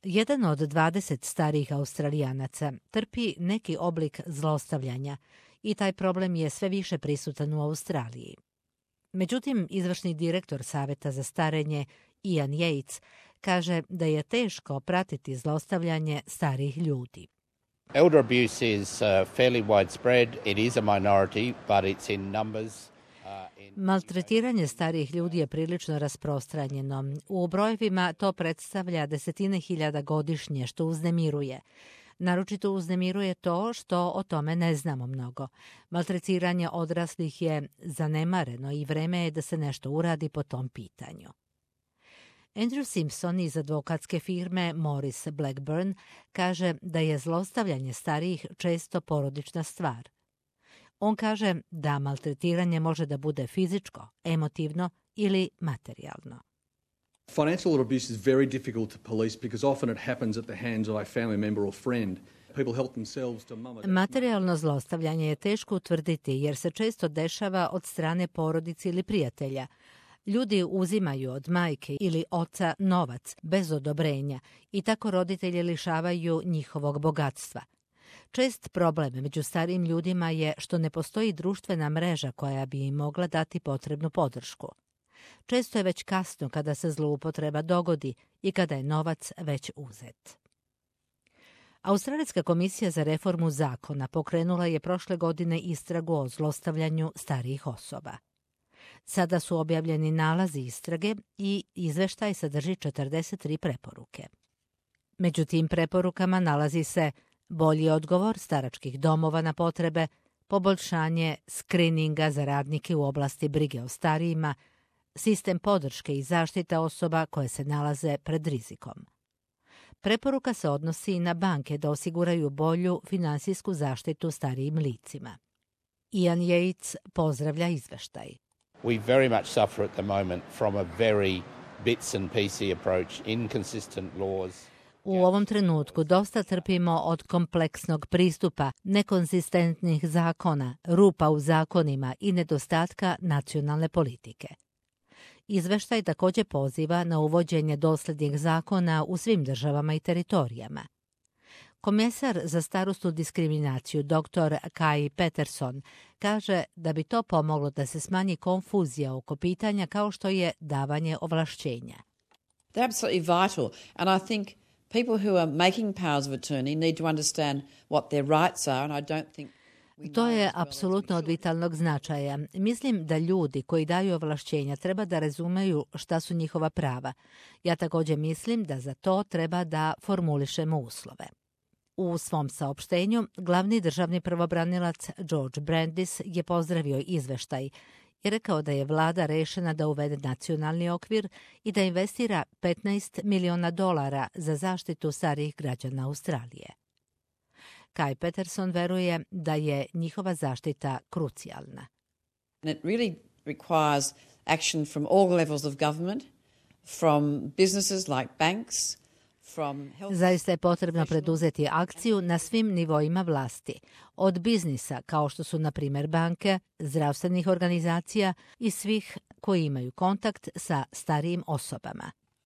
Jedan od 20 starijih Australijanaca trpi neki oblik zlostavljanja i taj problem je sve više prisutan u Australiji. Međutim, izvršni direktor Saveta za starenje Ian Yates kaže da je teško pratiti zlostavljanje starijih ljudi. Elder abuse is fairly widespread. It is a minority, but it's in numbers. Maltretiranje starijih ljudi je prilično rasprostranjeno. U brojevima to predstavlja desetine hiljada godišnje, što uznemiruje. Naročito uznemiruje to što o tome ne znamo mnogo. Maltretiranje odraslih je zanemareno i vreme je da se nešto uradi po tom pitanju. Andrew Simpson iz advokatske firme Morris Blackburn kaže da je zlostavljanje starijih često porodična stvar. On kaže da maltretiranje može da bude fizičko, emotivno ili materijalno. Financial abuse is very difficult to police because often it happens at the hands of a family member or friend. People help themselves to mum. Materijalno zlostavljanje je teško utvrditi jer se često dešava od strane porodice ili prijatelja. Ljudi uzimaju od majke ili oca novac bez odobrenja i tako roditelji lišavaju njihovog bogatstva. Čest problem među starijim ljudima je što ne postoji društvena mreža koja bi im mogla dati potrebnu podršku. Često je već kasno kada se zloupotreba dogodi i kada je novac već uzet. Australijska komisija za reformu zakona pokrenula je prošle godine istragu o zlostavljanju starijih osoba. Sada su objavljeni nalazi istrage i izveštaj sadrži 43 preporuke. Među tim preporukama nalazi se bolji odgovor staračkih domova na potrebe, poboljšanje skrininga za radnike u oblasti brige o starijima, sistem podrške i zaštita osoba koje se nalaze pred rizikom. Preporuka se odnosi i na banke da osiguraju bolju finansijsku zaštitu starijim licima. Ian Yates pozdravlja izveštaj. We very much suffer at the moment from a very bits and pieces approach, inconsistent laws. U ovom trenutku dosta trpimo od kompleksnog pristupa, nekonzistentnih zakona, rupa u zakonima i nedostatka nacionalne politike. Izveštaj također poziva na uvođenje doslednih zakona u svim državama i teritorijama. Komesar za starosnu diskriminaciju dr. Kai Peterson kaže da bi to pomoglo da se smanji konfuzija oko pitanja kao što je davanje ovlašćenja. They're absolutely vital, and I think people who are making powers of attorney need to understand what their rights are, and I don't think to je apsolutno od vitalnog značaja. Mislim da ljudi koji daju ovlašćenja treba da razumeju šta su njihova prava. Ja također mislim da za to treba da formulišemo uslove. U svom saopštenju, glavni državni pravobranilac George Brandis je pozdravio izveštaj i rekao da je vlada rešena da uvede nacionalni okvir i da investira $15 miliona za zaštitu starijih građana Australije. Kai Peterson veruje da je njihova zaštita krucijalna. And it really requires action from all levels of government, from businesses like banks, from health. Zaista je potrebno preduzeti akciju na svim nivoima vlasti, od biznisa kao što su na primjer banke, zdravstvenih organizacija i svih koji imaju kontakt sa starijim osobama.